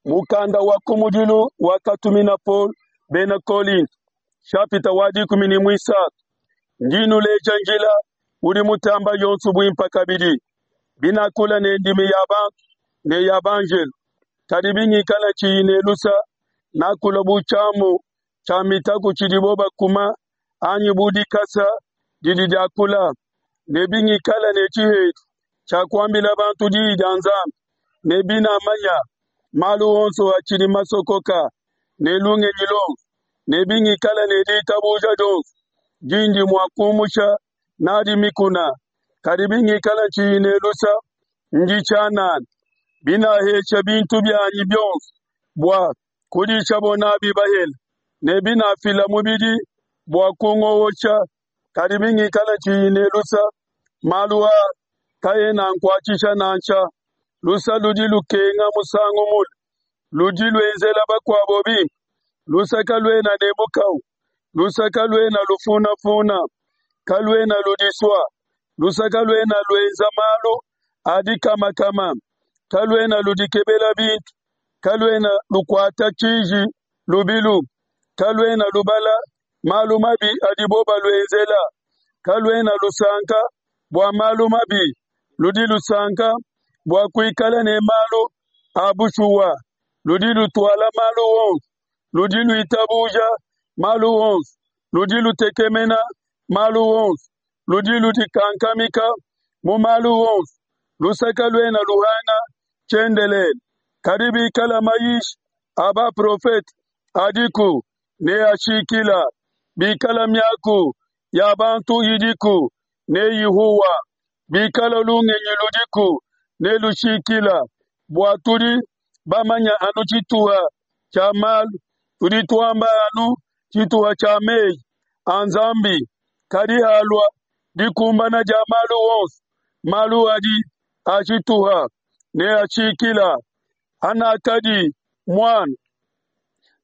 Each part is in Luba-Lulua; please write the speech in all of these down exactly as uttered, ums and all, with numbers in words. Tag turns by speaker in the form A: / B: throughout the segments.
A: Mukanda wa kumudilu wakatumina Paulo bena Kolinto, nshapita wa dikumi ne muisatu. Ndi nnuleja njila udi mutamba yonso buimpe kabidi. Binakula ne ndimi ya bantu ne ya banjelo, kadi bingikala tshiyi ne lusa, nakula bu tshiamu tshia mitaku tshidibo bakuma, anyi bu dikasa didi diakula. Ne bingikala ne tshihedi tshia kuambila bantu diyi dia Nzambi, ne binamanya malu onso atshidi masokoka ne lungenyi luonso, ne bingikala ne ditabuja dionso dindi mua kumusha nadi mikuna, kadi bingikala tshiyi ne lusa, ndi tshianana. Binahesha bintu bianyi bionso bua kudishabo nabi bahele, ne binafila mubidi bua kungowosha, kadi bingikala tshiyi ne lusa, malu aa kaena ankuatshisha nansha. Lusa ludi lukenga musangu mule, ludi luenzela bakuabo bimpe. Lusa kaluena ne mukawu, lusa kaluena lufunafuna, kaluena ludisua, lusa kaluena luenza malu a dikamakama, kaluena ludikebela bintu, kaluena lukuata tshiji lubilu, kaluena lubala malu mabi adibo baluenzela, kaluena lusanka bua malu mabi, ludi lusanka bua kuikala ne malu a bushuwa, ludi lutuala malu onso, ludi luitabuja malu onso, ludi lutekemena malu onso, ludi ludikankamika mu malu onso. Lusa kaluena luhanga tshiendelele, kadi bikala mayishi a baprofete adiku, neashikila, bikala miaku ya bantu idiku, neyihuwa, bikala lungenyi ludiku, nelushikila. Bua tudi bamanya anu tshituha tshia malu, tudi tuamba anu tshituha tshia meyi a Nzambi, kadi halua dikumbana dia malu onso, malu adi a tshituha neashikila. Hanakadi muana,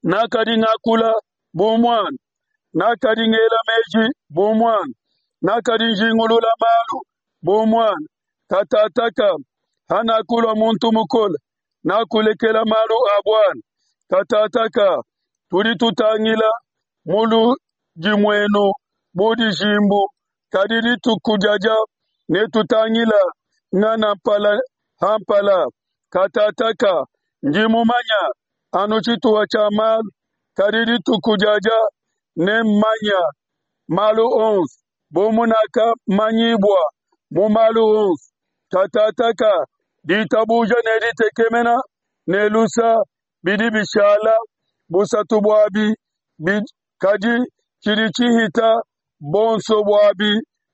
A: nakadi ngakula bu muana, nakadi ngela meji bu muana, nakadi njingulula malu bu muana. Katataka hanakulua muntu mukole, nakulekela malu a buana. Katataka tudi tutangila mu ludimuenu bu dijimbu, kadi dituku diadia netutangila ngana mpala ha mpala. Katataka ndi mumanya anu tshituha tshia malu, kadi dituku diadia nemmanya malu onso, bu munakamanyibua mu malu onso. Katataka ditabuja ne ditekemena ne lusa bidi bishala busatu buabi, kadi tshidi tshihita bonso buabi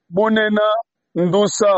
A: bunene ndusa.